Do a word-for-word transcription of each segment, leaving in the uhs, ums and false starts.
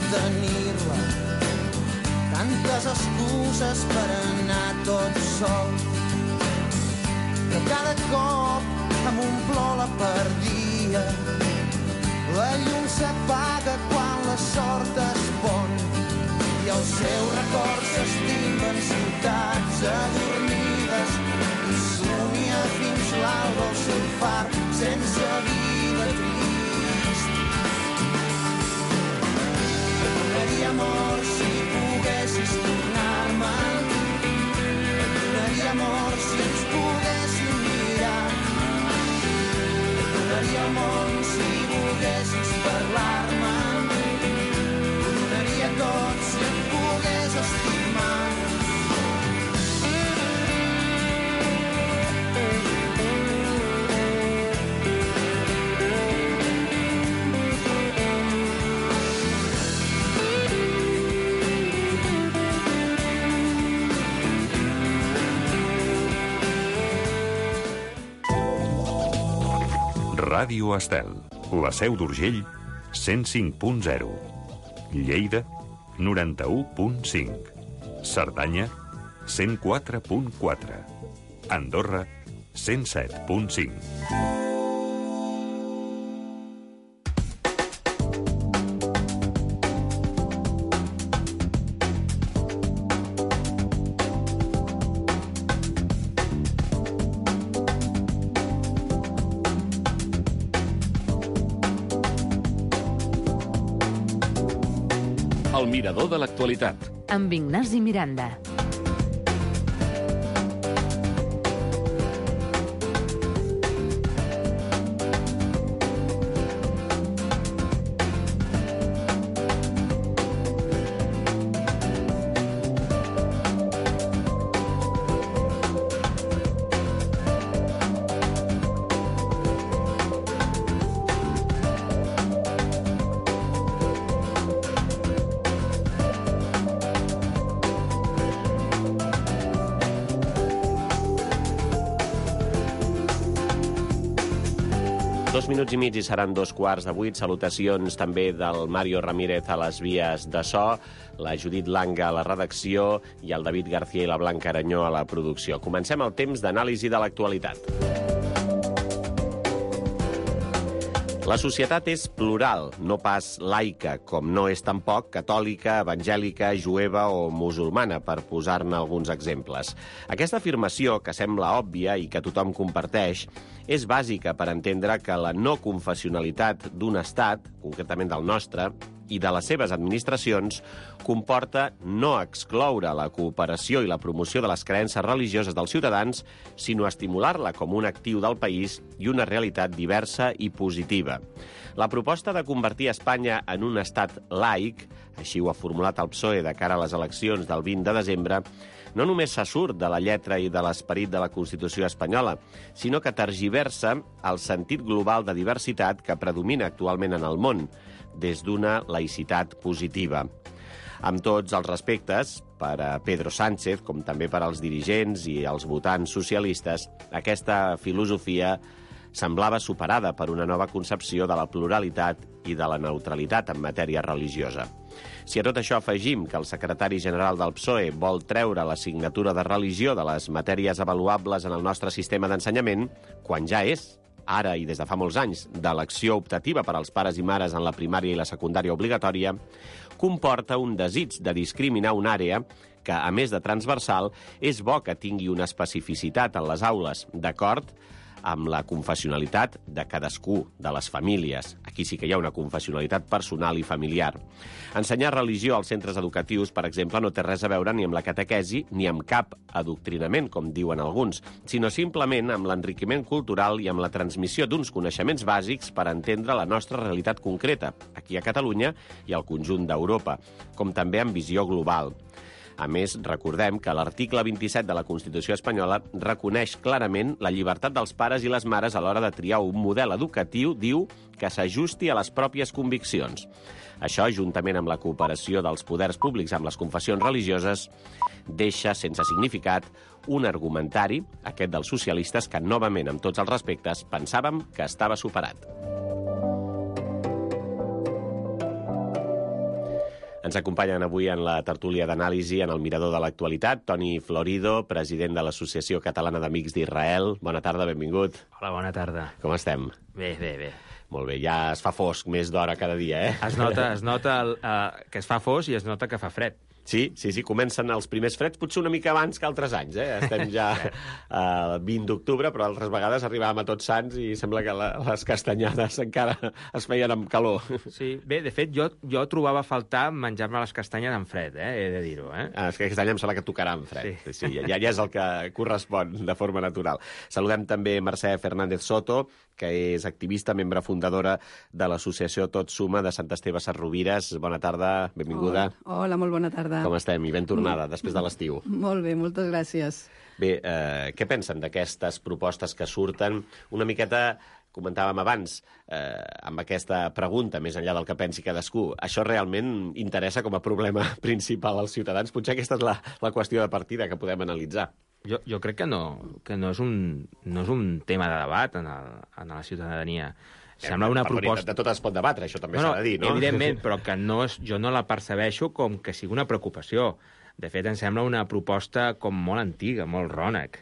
tenir-la, tantes excuses per anar tot sol, que cada cop amb un plor la perdia. La llum s'apaga quan la sort es pon i els seus records s'estimben ciutats adormides i somia fins l'alba el seu far sense vida trist. Et donaria amor si poguessis tornar-me'n, et donaria amor si ens poguéssim mirar, et donaria el món si volguessis parlar-me'n, ho donaria tot si et pogués estimar. Ràdio Estel, la Seu d'Urgell, cent cinc punt zero. Lleida, noranta-u punt cinc. Cerdanya, cent quatre punt quatre. Andorra, cent set punt cinc. El mirador de l'actualitat. Amb Ignasi Miranda. Dos minuts i mig i seran dos quarts de vuit. Salutacions també del Mario Ramírez a les vies de so, la Judit Langa a la redacció i el David García i la Blanca Aranyó a la producció. Comencem el temps d'anàlisi de l'actualitat. La societat és plural, no pas laica, com no és tampoc catòlica, evangèlica, jueva o musulmana, per posar-ne alguns exemples. Aquesta afirmació, que sembla òbvia i que tothom comparteix, és bàsica per entendre que la no confessionalitat d'un estat, concretament del nostre, i de les seves administracions, comporta no excloure la cooperació i la promoció de les creences religioses dels ciutadans, sinó estimular-la com un actiu del país i una realitat diversa i positiva. La proposta de convertir Espanya en un estat laic, així ho ha formulat el P S O E de cara a les eleccions del vint de desembre, no només se surt de la lletra i de l'esperit de la Constitució espanyola, sinó que tergiversa el sentit global de diversitat que predomina actualment en el món, des d'una laïcitat positiva. Amb tots els respectes, per a Pedro Sánchez, com també per als dirigents i els votants socialistes, aquesta filosofia semblava superada per una nova concepció de la pluralitat i de la neutralitat en matèria religiosa. Si a tot això afegim que el secretari general del P S O E vol treure l'assignatura de religió de les matèries avaluables en el nostre sistema d'ensenyament, quan ja és, ara i des de fa molts anys, d'elecció optativa per als pares i mares en la primària i la secundària obligatòria, comporta un desig de discriminar una àrea que, a més de transversal, és bo que tingui una especificitat en les aules, d'acord amb la confessionalitat de cadascú, de les famílies. Aquí sí que hi ha una confessionalitat personal i familiar. Ensenyar religió als centres educatius, per exemple, no té res a veure ni amb la catequesi ni amb cap adoctrinament, com diuen alguns, sinó simplement amb l'enriquiment cultural i amb la transmissió d'uns coneixements bàsics per entendre la nostra realitat concreta, aquí a Catalunya i al conjunt d'Europa, com també amb visió global. A més, recordem que l'article vint-i-set de la Constitució espanyola reconeix clarament la llibertat dels pares i les mares a l'hora de triar un model educatiu, diu, que s'ajusti a les pròpies conviccions. Això, juntament amb la cooperació dels poders públics amb les confessions religioses, deixa sense significat un argumentari, aquest dels socialistes, que novament, amb tots els respectes, pensàvem que estava superat. Ens acompanyen avui en la tertúlia d'anàlisi en el Mirador de l'Actualitat Toni Florido, president de l'Associació Catalana d'Amics d'Israel. Bona tarda, benvingut. Hola, bona tarda. Com estem? Bé, bé, bé. Molt bé, ja es fa fosc més d'hora cada dia, eh? Es nota, es nota el, uh, que es fa fosc i es nota que fa fred. Sí, sí, sí, comencen els primers freds, potser una mica abans que altres anys, eh? Estem ja al vint d'octubre, però altres vegades arribàvem a Tots Sants i sembla que la, les castanyades encara es feien amb calor. Sí, bé, de fet, jo, jo trobava a faltar menjar-me les castanyes en fred, eh? He de dir-ho, eh? Ah, és que aquest any em sembla que tocarà en fred. Sí. Sí, ja, ja és el que correspon de forma natural. Saludem també Mercè Fernández Soto, que és activista, membre fundadora de l'associació Tot Suma de Sant Esteve Sesrovires. Bona tarda, benvinguda. Hola, hola, molt bona tarda. Com estem? I ben tornada, després de l'estiu. Molt bé, moltes gràcies. Bé, eh, què pensen d'aquestes propostes que surten? Una miqueta, comentàvem abans, eh, amb aquesta pregunta, més enllà del que pensi cadascú, això realment interessa com a problema principal als ciutadans? Potser aquesta és la, la qüestió de partida que podem analitzar. Jo, jo crec que no, que no és un, no és un tema de debat en, el, en la ciutadania. Sembla una per proposta... De tot es pot debatre, això també no, s'ha de dir, no? Evidentment, però que no és, jo no la percebeixo com que sigui una preocupació. De fet, em sembla una proposta com molt antiga, molt rònec.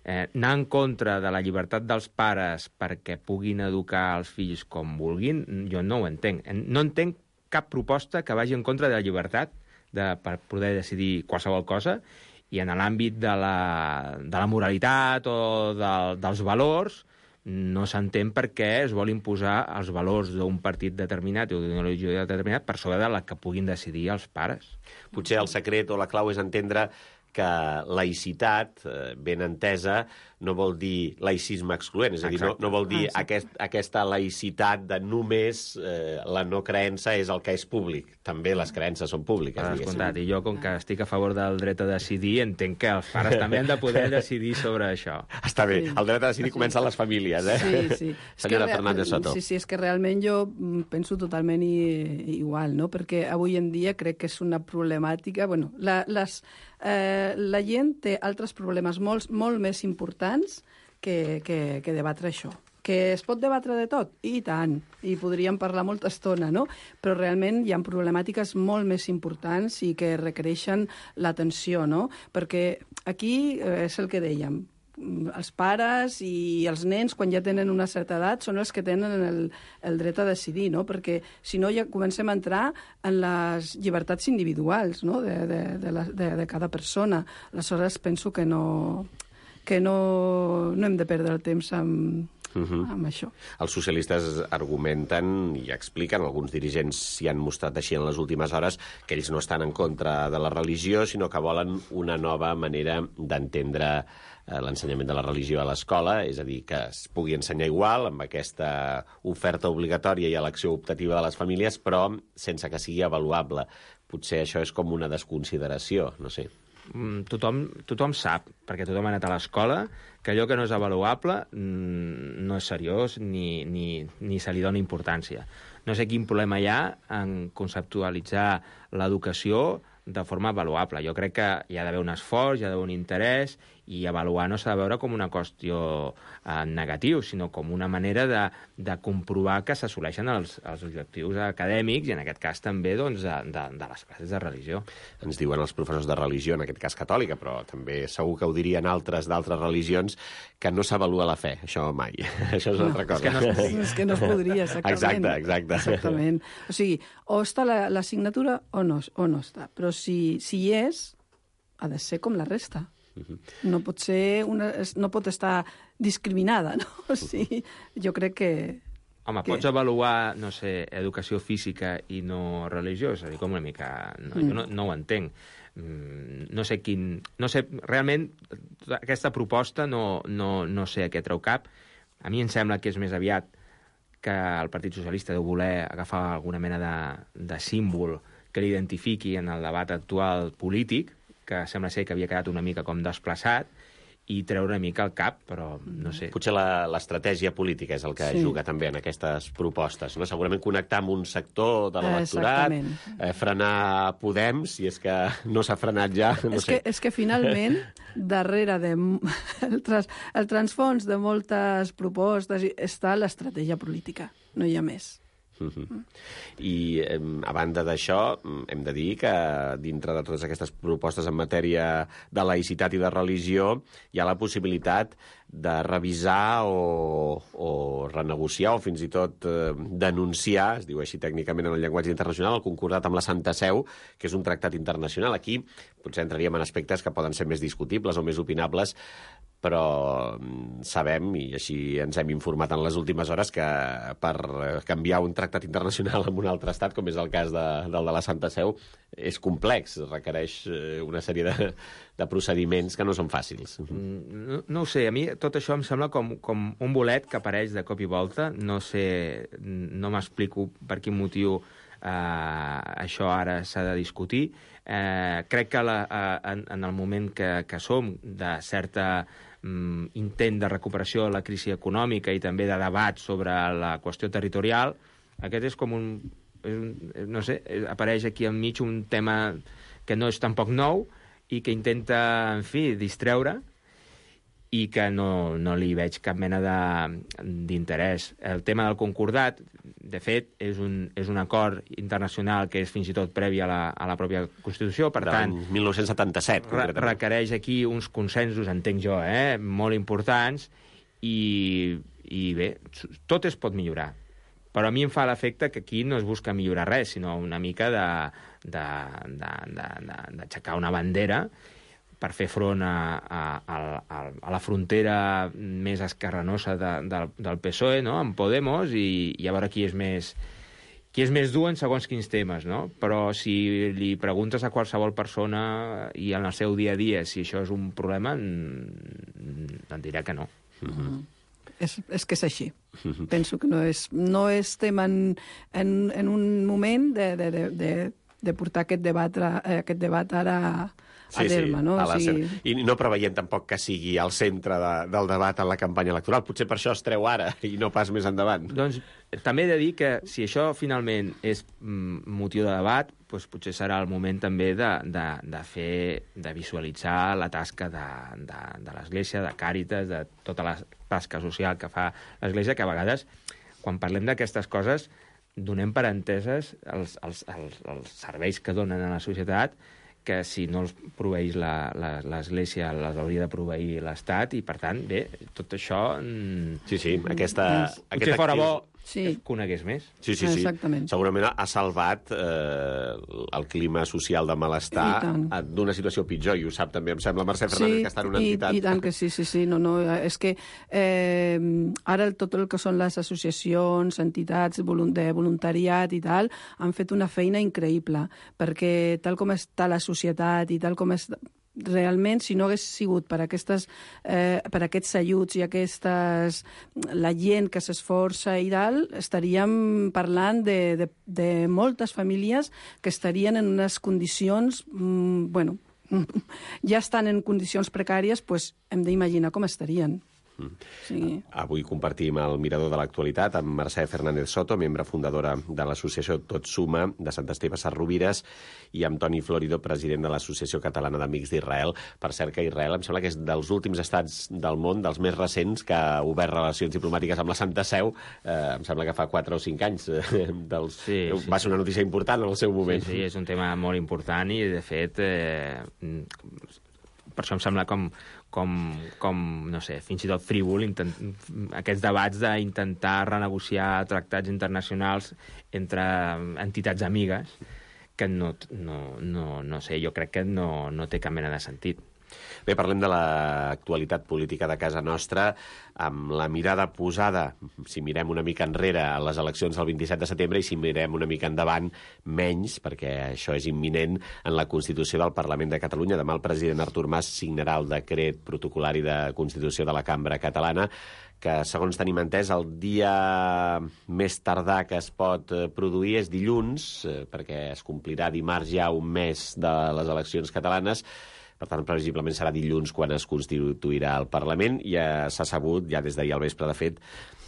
Eh, anar en contra de la llibertat dels pares perquè puguin educar els fills com vulguin, jo no ho entenc. No entenc cap proposta que vagi en contra de la llibertat de, per poder decidir qualsevol cosa, i en l'àmbit de la, de la moralitat o de, dels valors no s'entén per què es vol imposar els valors d'un partit determinat o d'una religió determinat per sobre de la que puguin decidir els pares. Potser el secret o la clau és entendre que laïcitat, ben entesa, no vol dir laïcisme excloent, és a dir, no, no vol dir aquest, aquesta laïcitat de només eh, la no creença és el que és públic. També les creences són públiques, diguéssim. I jo, com que estic a favor del dret a decidir, entenc que els pares també han de poder decidir sobre això. Està bé, el dret a decidir comença a les famílies, eh? Sí, sí. Senyora Fernández Soto. Sí, sí, és que realment jo penso totalment i, igual, no? Perquè avui en dia crec que és una problemàtica... Bueno, la, les, eh, la gent té altres problemes molt, molt més importants que, que, que debatre això. Que es pot debatre de tot? I tant. I podríem parlar molta estona, no? Però realment hi ha problemàtiques molt més importants i que requereixen l'atenció, no? Perquè aquí eh, és el que dèiem. Els pares i els nens, quan ja tenen una certa edat, són els que tenen el, el dret a decidir, no? Perquè si no ja comencem a entrar en les llibertats individuals, no? de, de, de, la, de, de cada persona. Aleshores penso que no... que no, no hem de perdre el temps amb, uh-huh. amb això. Els socialistes argumenten i expliquen, alguns dirigents s'hi han mostrat així en les últimes hores, que ells no estan en contra de la religió, sinó que volen una nova manera d'entendre eh, l'ensenyament de la religió a l'escola, és a dir, que es pugui ensenyar igual, amb aquesta oferta obligatòria i elecció optativa de les famílies, però sense que sigui avaluable. Potser això és com una desconsideració, no sé. Tothom, tothom sap, perquè tothom ha anat a l'escola, que allò que no és avaluable no és seriós ni, ni, ni se li dona importància. No sé quin problema hi ha en conceptualitzar l'educació de forma avaluable. Jo crec que hi ha d'haver un esforç, hi ha d'haver un interès, i avaluar no s'ha de veure com una qüestió eh, negativa, sinó com una manera de, de comprovar que s'assoleixen els, els objectius acadèmics i, en aquest cas, també doncs, de, de, de les classes de religió. Ens diuen els professors de religió, en aquest cas catòlica, però també segur que ho dirien altres d'altres religions, que no s'avalua la fe. Això mai. Això és una no, altra cosa. És que no, és que no es podria, exactament. Exacte, exacte. Exactament. O sigui, o està l'assignatura o, no, o no està. Però si, si hi és, ha de ser com la resta. No pot ser una, no pot estar discriminada, no? O sigui, jo crec que... Home, que... pots avaluar, no sé, educació física i no religió? És a dir, com una mica... No, mm. Jo no, no ho entenc. Mm, no sé quin... No sé, realment, aquesta proposta no, no, no sé a què treu cap. A mi em sembla que és més aviat que el Partit Socialista deu voler agafar alguna mena de, de símbol que l'identifiqui en el debat actual polític, que sembla ser que havia quedat una mica com desplaçat, i treure una mica el cap, però no sé. Potser l'estratègia política és el que sí. juga també en aquestes propostes, no? Segurament connectar amb un sector de l'electorat, eh, frenar Podem, si és que no s'ha frenat ja. No és, sé. que, és que finalment, darrere de el, trans, el transfons de moltes propostes està l'estratègia política, no hi ha més. Uh-huh. I eh, a banda d'això, hem de dir que dintre de totes aquestes propostes en matèria de laïcitat i de religió hi ha la possibilitat de revisar o, o renegociar o fins i tot eh, denunciar, es diu així tècnicament en el llenguatge internacional, el concordat amb la Santa Seu, que és un tractat internacional. Aquí potser entraríem en aspectes que poden ser més discutibles o més opinables, però sabem, i així ens hem informat en les últimes hores, que per canviar un tractat internacional en un altre estat, com és el cas de, del de la Santa Seu, és complex, requereix una sèrie de, de procediments que no són fàcils. No, no ho sé, a mi tot això em sembla com, com un bolet que apareix de cop i volta. No sé, no m'explico per quin motiu eh, això ara s'ha de discutir. Eh, crec que la, eh, en, en el moment que, que som de certa mm, intent de recuperació de la crisi econòmica i també de debat sobre la qüestió territorial, aquest és com un, és un no sé, apareix aquí enmig un tema que no és tampoc nou i que intenta, en fi, distreure, i que no, no li veig cap mena d'interès. El tema del concordat, de fet, és un, és un acord internacional que és fins i tot previ a la, a la pròpia Constitució, per tant... mil nou-cents setanta-set, re requereix aquí uns consensos, entenc jo, eh, molt importants, i, i bé, tot es pot millorar. Però a mi em fa l'efecte que aquí no es busca millorar res, sinó una mica d'aixecar una bandera per fer front a, a, a, a la frontera més esquerranosa de, de, del P S O E, no?, amb Podemos, i, i a veure qui és més, qui és més dur en segons quins temes, no? Però si li preguntes a qualsevol persona i en el seu dia a dia si això és un problema, et dirà que no. Mm-hmm. És, és que és així. Mm-hmm. Penso que no, és, no estem en, en, en un moment de, de, de, de, de portar aquest debat, aquest debat ara a sí, terme, sí, no? A o sigui... I no preveiem tampoc que sigui al centre de, del debat en la campanya electoral. Potser per això es treu ara i no pas més endavant. Doncs també he de dir que si això finalment és mm, motiu de debat, doncs potser serà el moment també de, de, de fer, de visualitzar la tasca de, de, de l'Església, de Càritas, de tota la tasca social que fa l'Església, que a vegades, quan parlem d'aquestes coses, donem per enteses els, els, els, els serveis que donen a la societat, que si no els proveeix l'Església les hauria de proveir l'Estat, i per tant, bé, tot això... Sí, sí, aquesta... Potser aquest fora bo sí. que conegués més. Sí, sí, sí. Exactament. Segurament ha salvat eh, el clima social de malestar d'una situació pitjor, i ho sap també, em sembla, Mercè Fernández, sí, que està en una i, entitat... i tant que sí, sí, sí. No, no, és que eh, ara tot el que són les associacions, entitats de voluntariat i tal, han fet una feina increïble, perquè tal com està la societat i tal com és... Realment, si no hagués sigut per, aquestes, eh, per aquests ajuts i aquestes, la gent que s'esforça i tal, estaríem parlant de, de, de moltes famílies que estarien en unes condicions, mm, bueno, ja estan en condicions precàries, doncs hem d'imaginar com estarien. Mm. Sí. Avui compartim el mirador de l'actualitat amb Mercè Fernández Soto, membre fundadora de l'associació Tot Suma de Sant Esteve Sesrovires, i amb Toni Florido, president de l'Associació Catalana d'Amics d'Israel. Per cert que Israel em sembla que és dels últims estats del món, dels més recents, que ha obert relacions diplomàtiques amb la Santa Seu. Eh, em sembla que fa quatre o cinc anys. Eh, dels... sí, sí, va ser una notícia important en el seu moment. Sí, sí, és un tema molt important i, de fet, eh, per això em sembla com, com, com no sé, fins i tot frívol intent, aquests debats d'intentar renegociar tractats internacionals entre entitats amigues, que no, no, no, no sé, jo crec que no, no té cap mena de sentit. Bé, parlem de l'actualitat política de casa nostra, amb la mirada posada, si mirem una mica enrere, a les eleccions del vint-i-set de setembre, i si mirem una mica endavant, menys, perquè això és imminent, en la Constitució del Parlament de Catalunya. Demà el president Artur Mas signarà el decret protocolari de Constitució de la Cambra Catalana, que, segons tenim entès, el dia més tardà que es pot produir és dilluns, perquè es complirà dimarts ja un mes de les eleccions catalanes. Per tant, previsiblement serà dilluns quan es constituirà el Parlament. Ja s'ha sabut, ja des d'ahir al vespre, de fet,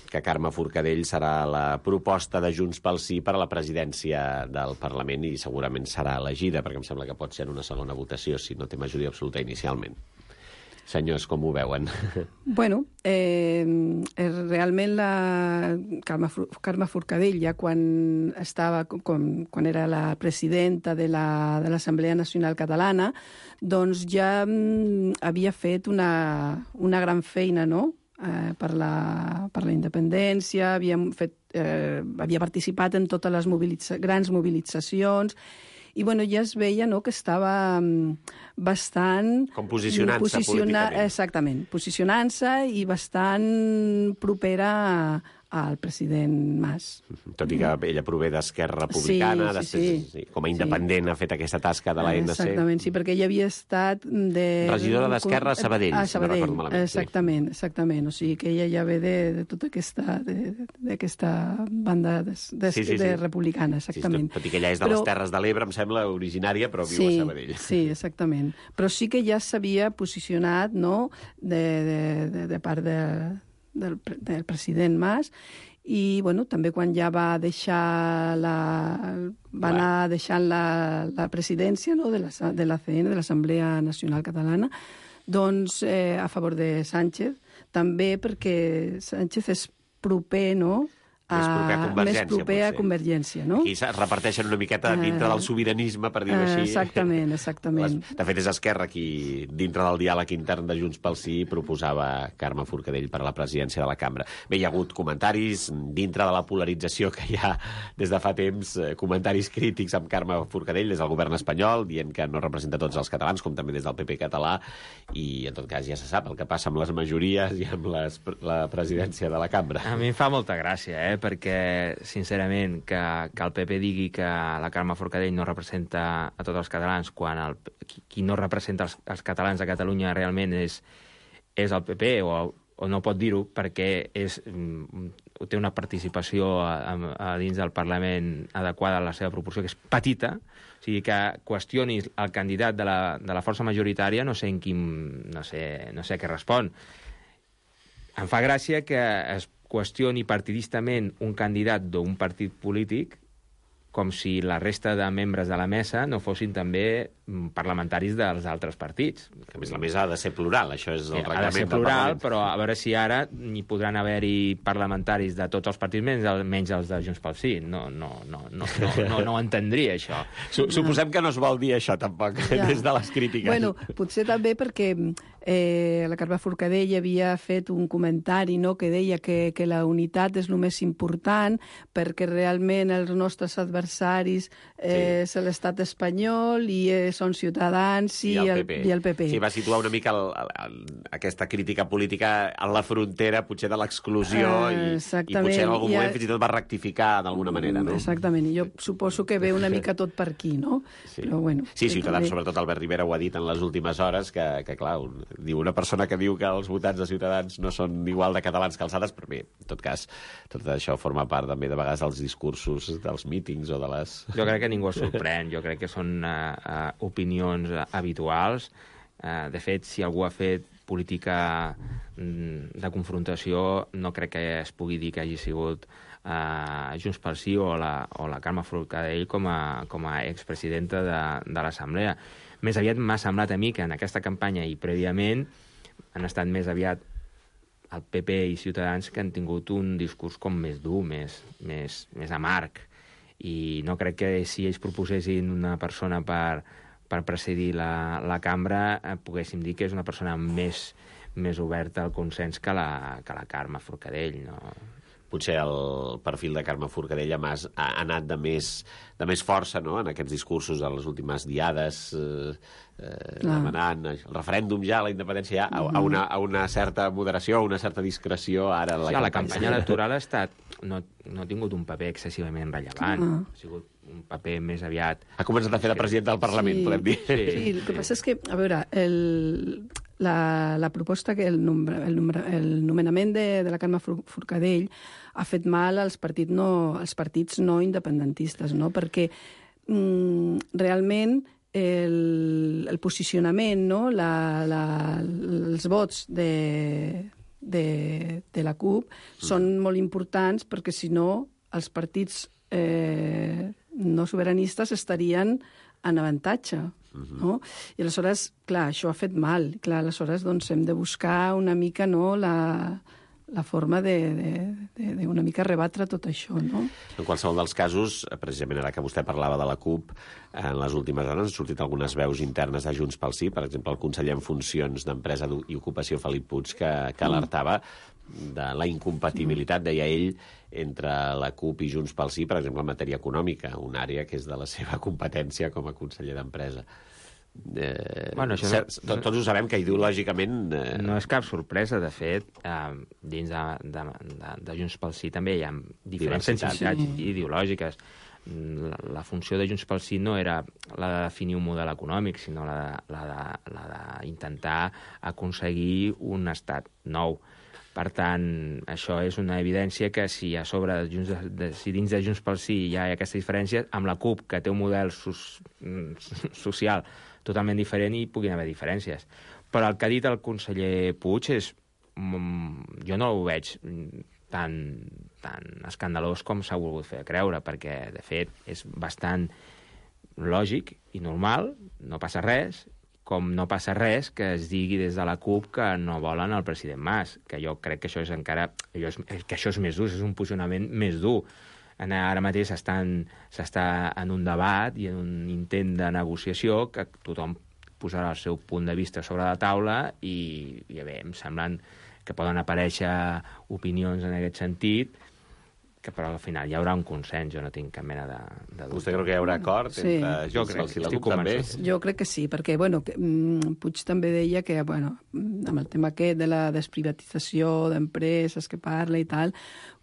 que Carme Forcadell serà la proposta de Junts pel Sí per a la presidència del Parlament, i segurament serà elegida, perquè em sembla que pot ser en una segona votació si no té majoria absoluta inicialment. senyors, com ho veuen? Bueno, eh, realment la Carme, Carme Forcadell, ja quan estava, com, quan era la presidenta de la, de l'Assemblea Nacional Catalana, doncs ja mm, havia fet una, una gran feina, no?, eh, per, la, per la independència, havia, fet, eh, havia participat en totes les mobilitza grans mobilitzacions, i bueno, ja es veia, no?, que estava bastant... Com posicionant-se posiciona políticament. Exactament, posicionant-se i bastant propera al president Mas. Tot i que ella prové d'Esquerra Republicana, sí, sí, després, sí. com a independent sí. ha fet aquesta tasca de l'A N C. Exactament, sí, perquè ella havia estat de... regidora d'Esquerra a Sabadell, a si no recordo malament. Exactament, sí. exactament. O sigui que ella ja ve de, de tota aquesta, d'aquesta banda de, de, sí, sí, sí. de republicana, exactament. Sí, tot, tot i que ella és de però... les Terres de l'Ebre, em sembla, originària, però viu sí, a Sabadell. Sí, exactament. Però sí que ja s'havia posicionat, no?, de, de, de, de part de... Del, del president Mas, i bueno, també quan ja va deixar la, va anar deixant la, la presidència, no?, de, la, de l'A C N, de l'Assemblea Nacional Catalana, doncs eh, a favor de Sánchez, també perquè Sánchez és proper, no?, Més proper a Convergència, més proper a Convergència, no? Aquí es reparteixen una miqueta dintre del sobiranisme, per dir-ho així. Exactament, exactament. De fet, és Esquerra qui, dintre del diàleg intern de Junts pel Sí, proposava Carme Forcadell per a la presidència de la cambra. Bé, hi ha hagut comentaris dintre de la polarització que hi ha des de fa temps, comentaris crítics amb Carme Forcadell des del govern espanyol, dient que no representa tots els catalans, com també des del P P català, i en tot cas ja se sap el que passa amb les majories i amb les, la presidència de la cambra. A mi em fa molta gràcia, eh? Perquè, sincerament, que, que el P P digui que la Carme Forcadell no representa a tots els catalans, quan el, qui, qui no representa els, els catalans a Catalunya realment és, és el P P, o, o no pot dir-ho perquè és, té una participació a, a dins del Parlament adequada a la seva proporció, que és petita. O sigui, que qüestionis el candidat de la, de la força majoritària, no sé en quin... no sé, no sé què respon. Em fa gràcia que es qüestioni partidistament un candidat d'un partit polític com si la resta de membres de la mesa no fossin també parlamentaris dels altres partits. Que a més la mesa ha de ser plural, això és el reglament. Ha de ser plural, però a veure si ara n'hi podran haver-hi parlamentaris de tots els partits, menys, menys els de Junts pel Sí. No, no, no, no, no, no, no ho entendria, això. Suposem que no es vol dir això, tampoc, ja. des de les crítiques. Bueno, potser també perquè eh, la Carme Forcadell havia fet un comentari, no?, que deia que, que la unitat és el més important perquè realment els nostres adversaris eh, sí. és l'estat espanyol i eh, són Ciutadans i, I, el el, P P. i el P P. Sí, va situar una mica el, el, el, aquesta crítica política en la frontera, potser de l'exclusió, uh, i, i potser en algun moment ha... fins i tot va rectificar d'alguna manera, no? Exactament, i jo suposo que ve una mica tot per aquí, no? Sí, Però, bueno, sí Ciutadans, també... sobretot Albert Rivera ho ha dit en les últimes hores, que, que clar, un, diu una persona que diu que els votants de Ciutadans no són igual de catalans que alçades, però bé, en tot cas, tot això forma part també de vegades dels discursos, dels mítings o de les... Jo crec que ningú es sorprèn, jo crec que són uh, uh, opinions uh, habituals. Uh, de fet, si algú ha fet política mm, de confrontació, no crec que es pugui dir que hagi sigut uh, Junts pel Sí o la, o la Carme Forcadell com a, com a expresidenta de, de l'Assemblea. Més aviat m'ha semblat a mi que en aquesta campanya i prèviament han estat més aviat el P P i Ciutadans que han tingut un discurs com més dur, més, més, més amarg. I no crec que si ells proposessin una persona per, per presidir la, la cambra eh, poguéssim dir que és una persona més, més oberta al consens que la, que la Carme Forcadell, no? Potser el perfil de Carme Forcadell ha, ha anat de més, de més força, no?, en aquests discursos de les últimes diades, eh, eh, demanant el referèndum ja, la independència ja, a, a, una, a una certa moderació, a una certa discreció ara en la, sí, la campanya electoral ha estat, no, no ha tingut un paper excessivament rellevant, uh. ha sigut un paper més aviat... Ha començat a fer de president del Parlament, sí, podem dir. Sí, sí, el que passa és que, a veure, el, la, la proposta, que el, nombre, el, nombre, el nomenament de, de la Carme Forcadell ha fet mal als partits no, als partits no independentistes, no? Perquè mm, realment el, el posicionament, no? la, la, els vots de, de, de la CUP mm. són molt importants perquè, si no, els partits eh, no sobiranistes estarien en avantatge. Uh-huh. No? I aleshores, clar, això ha fet mal. Clar, aleshores doncs, hem de buscar una mica no, la, la forma de, de, de, de una mica rebatre tot això. No? En qualsevol dels casos, precisament ara que vostè parlava de la CUP, en les últimes hores han sortit algunes veus internes de Junts pel Sí, per exemple, el conseller en funcions d'Empresa i Ocupació, Felip Puig, que, que alertava de la incompatibilitat, deia ell, entre la CUP i Junts pel Sí, per exemple, en matèria econòmica, una àrea que és de la seva competència com a conseller d'Empresa. Eh, bueno, això cert, no, tots ho sabem que ideològicament... Eh... No és cap sorpresa, de fet, eh, dins de, de, de, de Junts pel Sí també hi ha diferents sensibilitats sí. ideològiques. La, la funció de Junts pel Sí no era la de definir un model econòmic, sinó la de, la de, la d'intentar aconseguir un estat nou. Per tant, això és una evidència que si a sobre, de Junts, de, si dins de Junts pel Sí hi ha aquesta diferència, amb la CUP, que té un model sos, social totalment diferent, hi puguin haver diferències. Però el que ha dit el conseller Puig és... Jo no ho veig tan, tan escandalós com s'ha volgut fer creure, perquè, de fet, és bastant lògic i normal, no passa res, com no passa res que es digui des de la CUP que no volen el president Mas, que jo crec que això és encara... que això és més dur, és un posicionament més dur. Ara mateix s'està en un debat i en un intent de negociació que tothom posarà el seu punt de vista sobre la taula i, i bé, em semblen que poden aparèixer opinions en aquest sentit, que però al final hi haurà un consens, jo no tinc cap mena de, de dubte. Vostè creu que hi haurà acord sí. entre Junts pel Sí i la CUP també? Jo crec que sí, perquè bueno, que, mm, Puig també deia que bueno, amb el tema aquest de la desprivatització d'empreses que parla i tal,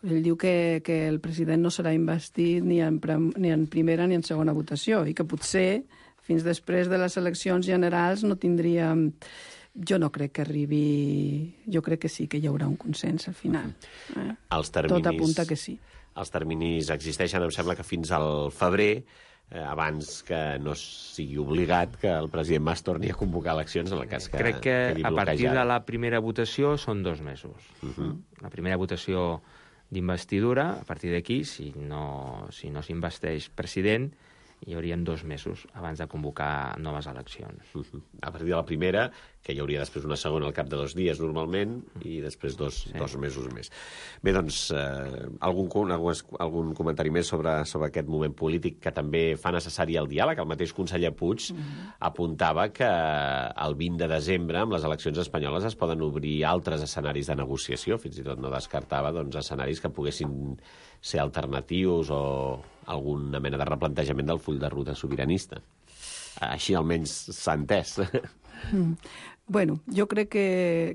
ell diu que, que el president no serà investit ni en, ni en primera ni en segona votació i que potser fins després de les eleccions generals no tindríem... Jo no crec que arribi... Jo crec que sí, que hi haurà un consens al final. Eh? Els terminis, tot apunta que sí. Els terminis existeixen, em sembla que fins al febrer, eh, abans que no sigui obligat que el president Mas torni a convocar eleccions en el cas que crec que quedi a partir bloquejada. de la primera votació són dos mesos. Uh-huh. La primera votació d'investidura, a partir d'aquí, si no si no s'investeix president, hi haurien dos mesos abans de convocar noves eleccions. Uh-huh. A partir de la primera, que hi hauria després una segona al cap de dos dies normalment, i després dos, sí. dos mesos més. Bé, doncs, eh, algun, algun, algun comentari més sobre, sobre aquest moment polític que també fa necessari el diàleg. El mateix conseller Puig uh-huh. apuntava que el vint de desembre, amb les eleccions espanyoles, es poden obrir altres escenaris de negociació, fins i tot no descartava doncs, escenaris que poguessin ser alternatius o alguna mena de replantejament del full de ruta sobiranista. Així almenys s'ha entès. Mm. Bueno, jo crec que,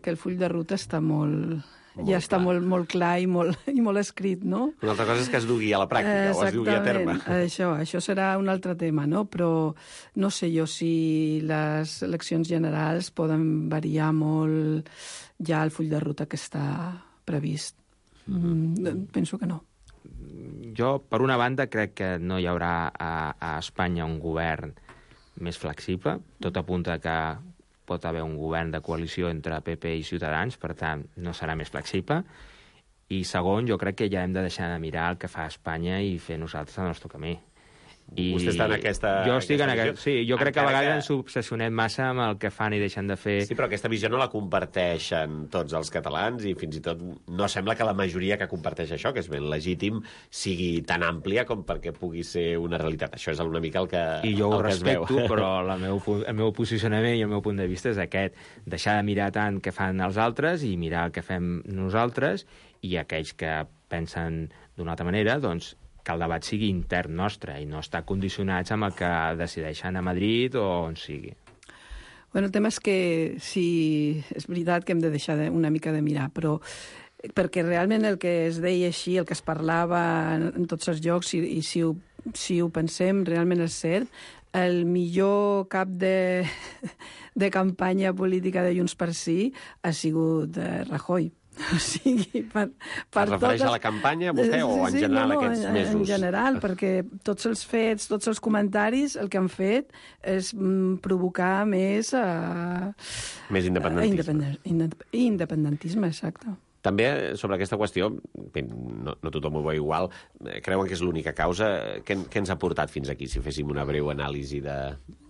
que el full de ruta està molt... Molt ja clar. Està molt, molt clar i molt, i molt escrit, no? Una altra cosa és que es dugui a la pràctica o es dugui a terme. Això, això serà un altre tema, no? Però no sé jo si les eleccions generals poden variar molt ja el full de ruta que està previst. Mm, penso que no. Jo, per una banda, crec que no hi haurà a, a Espanya un govern més flexible. Tot apunta que pot haver un govern de coalició entre P P i Ciutadans, per tant, no serà més flexible. I segon, jo crec que ja hem de deixar de mirar el que fa Espanya i fer nosaltres el nostre camí. I vostè està en aquesta... Jo estic aquesta en aquest... Sí, jo crec que a vegades que... ens obsessionem massa amb el que fan i deixen de fer. Sí, però aquesta visió no la comparteixen tots els catalans i fins i tot no sembla que la majoria que comparteix això, que és ben legítim, sigui tan àmplia com perquè pugui ser una realitat. Això és una mica el que, I jo ho el que respecto, es veu. Però la meu, el meu posicionament i el meu punt de vista és aquest. Deixar de mirar tant què fan els altres i mirar el que fem nosaltres, i aquells que pensen d'una altra manera, doncs que el debat sigui intern nostre i no estar condicionats amb el que decideixen a Madrid o on sigui. Bueno, el tema és que sí, és veritat que hem de deixar de, una mica de mirar, però perquè realment el que es deia així, el que es parlava en, en tots els llocs, i, i si, ho, si ho pensem realment és cert, el millor cap de, de campanya política de Junts per Sí ha sigut eh, Rajoy. O sigui, per, per es refereix totes... a la campanya, vostè, o en sí, general no, no, aquests en, mesos? En general, perquè tots els fets, tots els comentaris, el que han fet és mm, provocar més... Uh, més independentisme. Uh, independent, independentisme, exacte. També, sobre aquesta qüestió, no, no tothom ho veu igual, creuen que és l'única causa. Què, què ens ha portat fins aquí, si féssim una breu anàlisi de,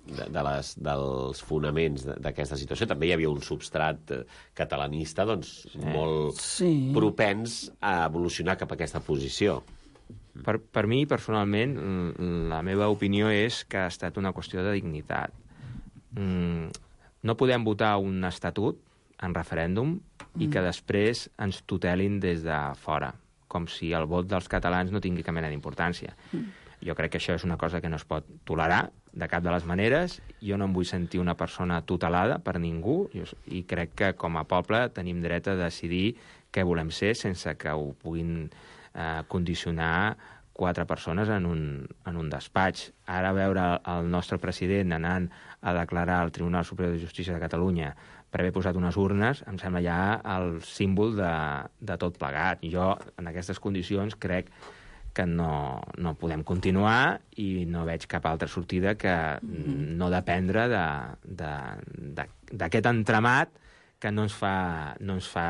de, de les, dels fonaments d'aquesta situació? També hi havia un substrat catalanista doncs, sí. molt sí. propens a evolucionar cap a aquesta posició. Per, per mi, personalment, la meva opinió és que ha estat una qüestió de dignitat. No podem votar un estatut en referèndum i que després ens tutelin des de fora, com si el vot dels catalans no tingui cap mena d'importància. Mm. Jo crec que això és una cosa que no es pot tolerar de cap de les maneres. Jo no em vull sentir una persona tutelada per ningú i crec que com a poble tenim dret a decidir què volem ser sense que ho puguin eh, condicionar quatre persones en un, en un despatx. Ara veure el nostre president anant a declarar al Tribunal Superior de Justícia de Catalunya per haver posat unes urnes, em sembla ja el símbol de, de tot plegat. Jo, en aquestes condicions, crec que no, no podem continuar i no veig cap altra sortida que mm. no dependre d'aquest entramat que no ens fa, no ens fa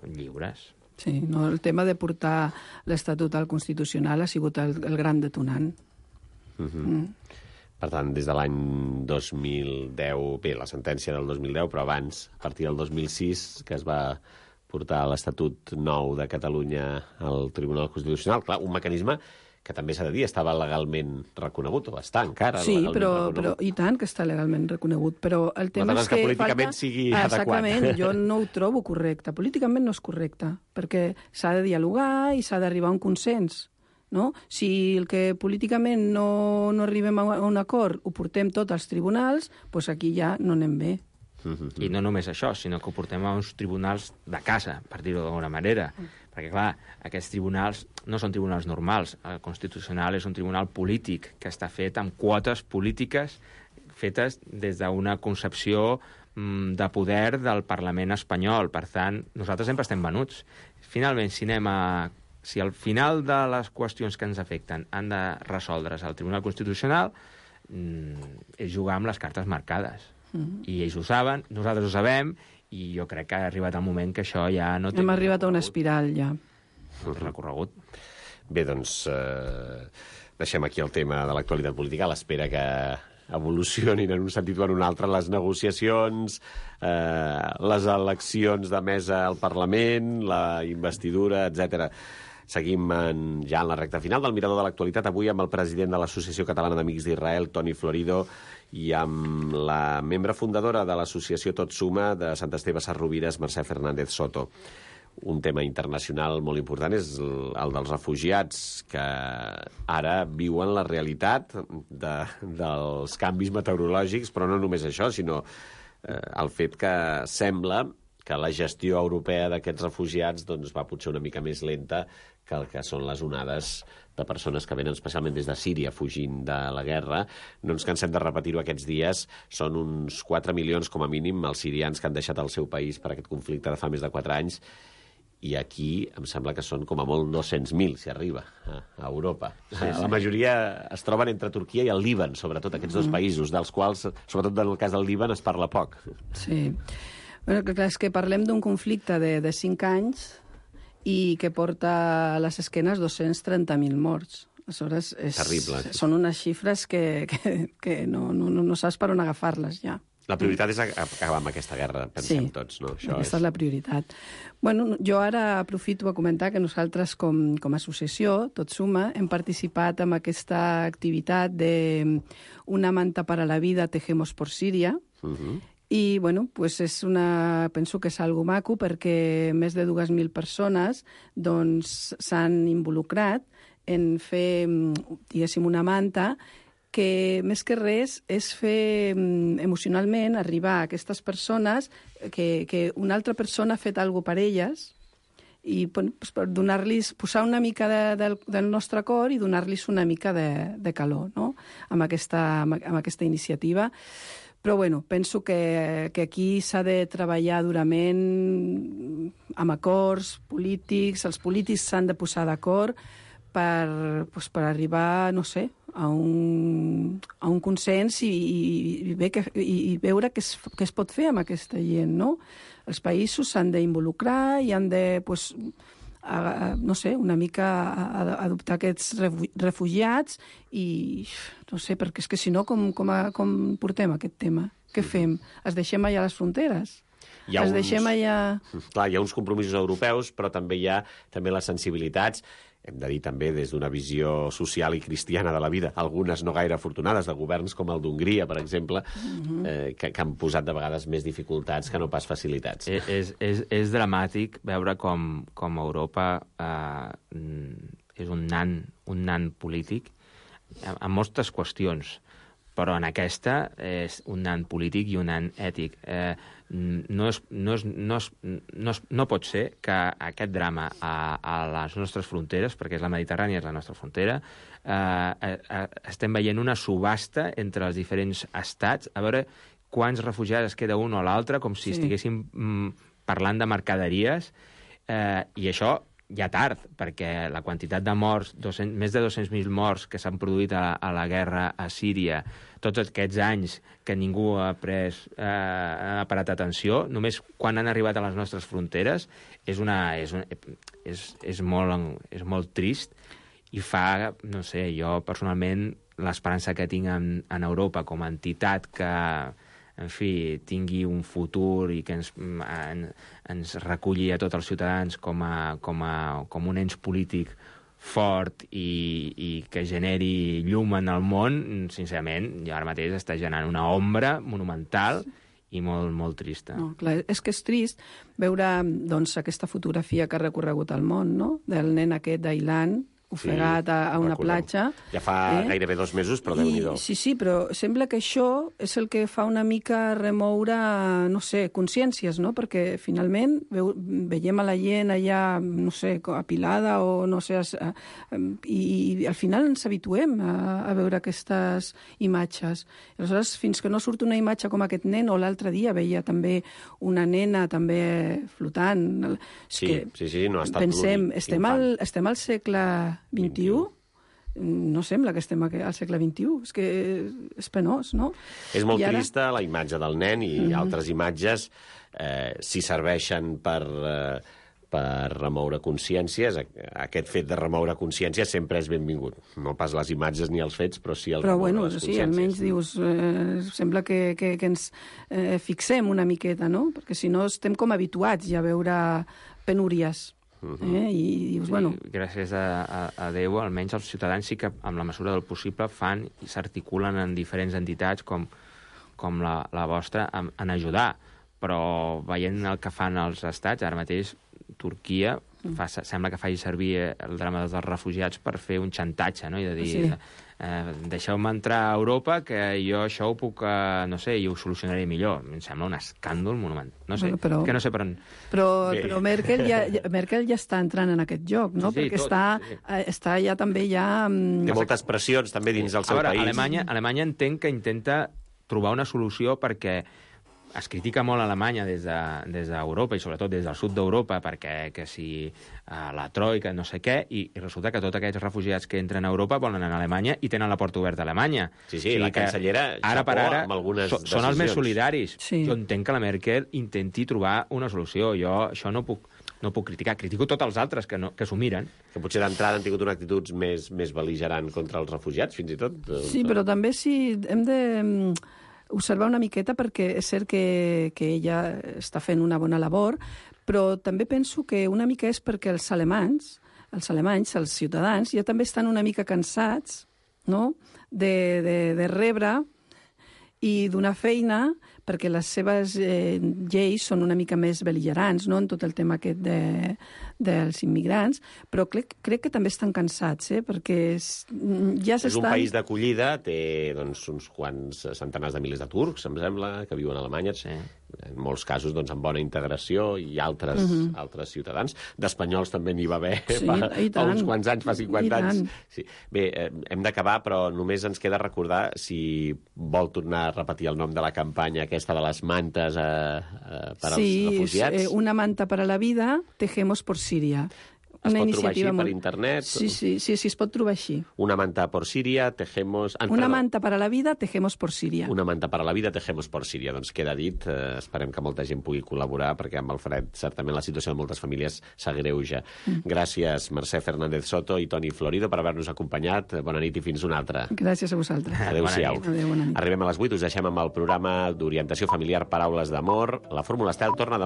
lliures. Sí, no, el tema de portar l'Estatut al Constitucional ha sigut el, el gran detonant. Mm-hmm. Mm. Per tant, des de l'any dos mil deu, bé, la sentència del dos mil deu, però abans, a partir del dos mil sis, que es va portar l'Estatut nou de Catalunya al Tribunal Constitucional. Clar, un mecanisme que també s'ha de dir, estava legalment reconegut, o està encara sí, legalment però, reconegut. Però, i tant que està legalment reconegut, però el tema és que, que políticament falta... sigui Exactament, adequat. Jo no ho trobo correcte. Políticament no és correcte, perquè s'ha de dialogar i s'ha d'arribar a un consens. No? Si el que políticament no, no arribem a un acord ho portem tot als tribunals, doncs aquí ja no anem bé. Mm-hmm. I no només això, sinó que ho portem a uns tribunals de casa, per dir-ho d'alguna manera. Mm. Perquè, clar, aquests tribunals no són tribunals normals. El Constitucional és un tribunal polític que està fet amb quotes polítiques fetes des d'una concepció mm, de poder del Parlament espanyol. Per tant, nosaltres sempre estem venuts. Finalment, si anem a... Si al final de les qüestions que ens afecten han de resoldre's al Tribunal Constitucional, mmm, és jugar amb les cartes marcades. Mm-hmm. I ells ho saben, nosaltres ho sabem, i jo crec que ha arribat el moment que això ja no té... Hem arribat a una espiral, ja. Recorregut. Bé, doncs, eh, deixem aquí el tema de l'actualitat política, a l'espera que evolucionin en un sentit o en un altre les negociacions, eh, les eleccions de mesa al Parlament, la investidura, etcètera. Seguim en, ja en la recta final del Mirador de l'Actualitat, avui amb el president de l'Associació Catalana d'Amics d'Israel, Toni Florido, i amb la membre fundadora de l'associació Tot Suma de Sant Esteve Sesrovires, Mercè Fernández Soto. Un tema internacional molt important és el dels refugiats, que ara viuen la realitat de, dels canvis meteorològics, però no només això, sinó eh, el fet que sembla que la gestió europea d'aquests refugiats doncs, va potser una mica més lenta que el que són les onades de persones que venen especialment des de Síria fugint de la guerra. No ens cansem de repetir-ho aquests dies. Són uns quatre milions, com a mínim, els sirians que han deixat el seu país per aquest conflicte de fa més de quatre anys. I aquí em sembla que són com a molt dos-cents mil, si arriba, a, a Europa. Sí, sí. La majoria es troben entre Turquia i el Líban, sobretot aquests dos països, dels quals, sobretot en el cas del Líban, es parla poc. Sí. Bueno, clar, és que parlem d'un conflicte de, de cinc anys i que porta a les esquenes dos-cents trenta mil morts. Aleshores, és, terrible. Són unes xifres que, que, que no, no, no saps per on agafar-les ja. La prioritat és acabar amb aquesta guerra, pensem sí, tots, no? Això aquesta és... és la prioritat. Bueno, jo ara aprofito a comentar que nosaltres, com, com a associació, Tot Suma, hem participat en aquesta activitat de Una manta para la vida, tejemos por Síria, uh-huh. I, bueno, pues és una... penso que és algo maco perquè més de dues mil persones doncs s'han involucrat en fer, diguéssim, una manta que, més que res, és fer emocionalment arribar a aquestes persones que, que una altra persona ha fet alguna cosa per elles i bueno, pues, per donar-los, posar una mica de, del, del nostre cor i donar-los una mica de, de calor, no?, amb aquesta, amb aquesta iniciativa. Però, bueno, penso que, que aquí s'ha de treballar durament amb acords polítics, els polítics s'han de posar d'acord, per, pues, per arribar, no sé, a un, a un consens i, i, i, bé que, i, i veure què es, què es pot fer amb aquesta gent, no? Els països s'han d'involucrar i han de, pues, a, a, no sé, una mica a, a adoptar aquests refugiats i, no sé, perquè és que si no, com, com, a, com portem aquest tema? Què fem? Es deixem allà les fronteres? Hi ha es uns, deixem allà... Clar, hi ha uns compromisos europeus, però també hi ha també les sensibilitats, hem de dir també des d'una visió social i cristiana de la vida, algunes no gaire afortunades, de governs com el d'Hongria, per exemple, uh-huh. eh, que, que han posat de vegades més dificultats que no pas facilitats. És, és, és, és dramàtic veure com, com Europa eh, és un nan, un nan polític en, en moltes qüestions, però en aquesta és un nan polític i un nan ètic. Eh, no, és, no, és, no, és, no, és, no pot ser que aquest drama a, a les nostres fronteres, perquè és la Mediterrània, és la nostra frontera, eh, eh, estem veient una subhasta entre els diferents estats, a veure quants refugiats es queda un o l'altre, com si sí. estiguéssim mm, parlant de mercaderies, eh, i això ja tard, perquè la quantitat de morts, dos-cents, més de dos-cents mil morts que s'han produït a, a la guerra a Síria, tots aquests anys que ningú ha pres, eh, ha parat atenció, només quan han arribat a les nostres fronteres, és, una, és, una, és, és, molt, és molt trist i fa, no sé, jo personalment l'esperança que tinc en, en Europa com a entitat que, en fi, tingui un futur i que ens, en, ens reculli a tots els ciutadans com, a, com, a, com un ens polític fort i, i que generi llum en el món, sincerament, jo ara mateix està generant una ombra monumental i molt, molt trista. No, clar, és que és trist veure doncs, aquesta fotografia que ha recorregut el món, no? Del nen aquest d'Ailan, ofegat sí, a, a una recordem. platja. Ja fa eh? gairebé dos mesos, però Déu-n'hi-do. Sí, sí, però sembla que això és el que fa una mica remoure, no sé, consciències, no? Perquè finalment veu, veiem a la gent allà, no sé, apilada o no sé, a, a, i, i al final ens habituem a, a veure aquestes imatges. Aleshores, fins que no surt una imatge com aquest nen, o l'altre dia veia també una nena també flotant. Sí, que, sí, sí, no ha estat pensem, estem al, estem al segle vint-i-u? No sembla que estem al segle vint-i-u. És que és penós, no? És molt ara... trista la imatge del nen i mm-hmm. altres imatges, eh, si serveixen per, eh, per remoure consciències. Aquest fet de remoure consciències sempre és benvingut. No pas les imatges ni els fets, però sí el però, remoure bueno, les sí, consciències. Almenys dius, eh, sembla que, que, que ens eh, fixem una miqueta, no? Perquè si no estem com habituats ja a veure penúries. Uh-huh. Eh? I dius, bueno... Sí, gràcies a, a, a Déu, almenys els ciutadans sí que, amb la mesura del possible, fan i s'articulen en diferents entitats com, com la, la vostra en, en ajudar. Però veient el que fan els estats, ara mateix Turquia fa, sembla que faci servir el drama dels refugiats per fer un xantatge, no? I de dir, sí. eh, deixeu-me entrar a Europa, que jo això ho puc, eh, no sé, i ho solucionaré millor. Em sembla un escàndol monumental. No sé, bueno, però, que no sé per on... Però, però Merkel, ja, Merkel ja està entrant en aquest joc, no? Sí, sí, perquè tot, està, sí. eh, està ja també ja... Um... Té moltes pressions també dins del seu a veure, país. Alemanya, Alemanya entenc que intenta trobar una solució perquè es critica molt a Alemanya des d'Europa de, des i sobretot des del sud d'Europa perquè que si uh, la troika, no sé què, i, i resulta que tots aquests refugiats que entren a Europa volen anar a Alemanya i tenen la porta oberta a Alemanya. Sí, sí, o sigui la cancellera ara per ara amb algunes so, són els més solidaris. Sí. Jo entenc que la Merkel intenti trobar una solució. Jo això no puc no puc criticar. Critico tots els altres que, no, que s'ho miren. Que potser d'entrada han tingut una actitud més, més bel·ligerant contra els refugiats, fins i tot. Sí, però també sí, hem de observar una miqueta perquè és cert que, que ella està fent una bona labor, però també penso que una mica és perquè els alemanys, els alemanys, els ciutadans, ja també estan una mica cansats, no?, de, de, de rebre i donar feina perquè les seves eh, lleis són una mica més bel·ligerants, no?, en tot el tema aquest de, dels immigrants, però crec, crec que també estan cansats, eh?, perquè és, ja s'estan... És un país d'acollida, té doncs, uns quants centenars de milers de turcs, em sembla, que viuen a Alemanya, sí. En molts casos doncs, amb bona integració, i altres, uh-huh. altres ciutadans. D'espanyols també n'hi va haver sí, fa, fa uns quants anys, fa cinquanta anys. Sí. Bé, eh, hem d'acabar, però només ens queda recordar, si vol tornar a repetir el nom de la campanya aquesta de les mantes eh, eh, per als sí, refugiats. Sí, eh, una manta para la vida, tejemos por Síria. Es una pot trobar iniciativa així molt... per internet? Sí, sí, sí, sí, es pot trobar així. Una manta por Síria, tejemos... Ah, Una perdó. manta para la vida, tejemos por Síria. Una manta per a la vida, tejemos por Síria. Doncs queda dit, eh, esperem que molta gent pugui col·laborar, perquè amb el fred certament la situació de moltes famílies s'agreuja. Mm. Gràcies, Mercè Fernández Soto i Toni Florido, per haver-nos acompanyat. Bona nit i fins una altra. Gràcies a vosaltres. Adéu-siau. Adéu, bona nit. Arribem a les vuit, us deixem amb el programa d'orientació familiar Paraules d'amor. La Fórmula Estel torna demà.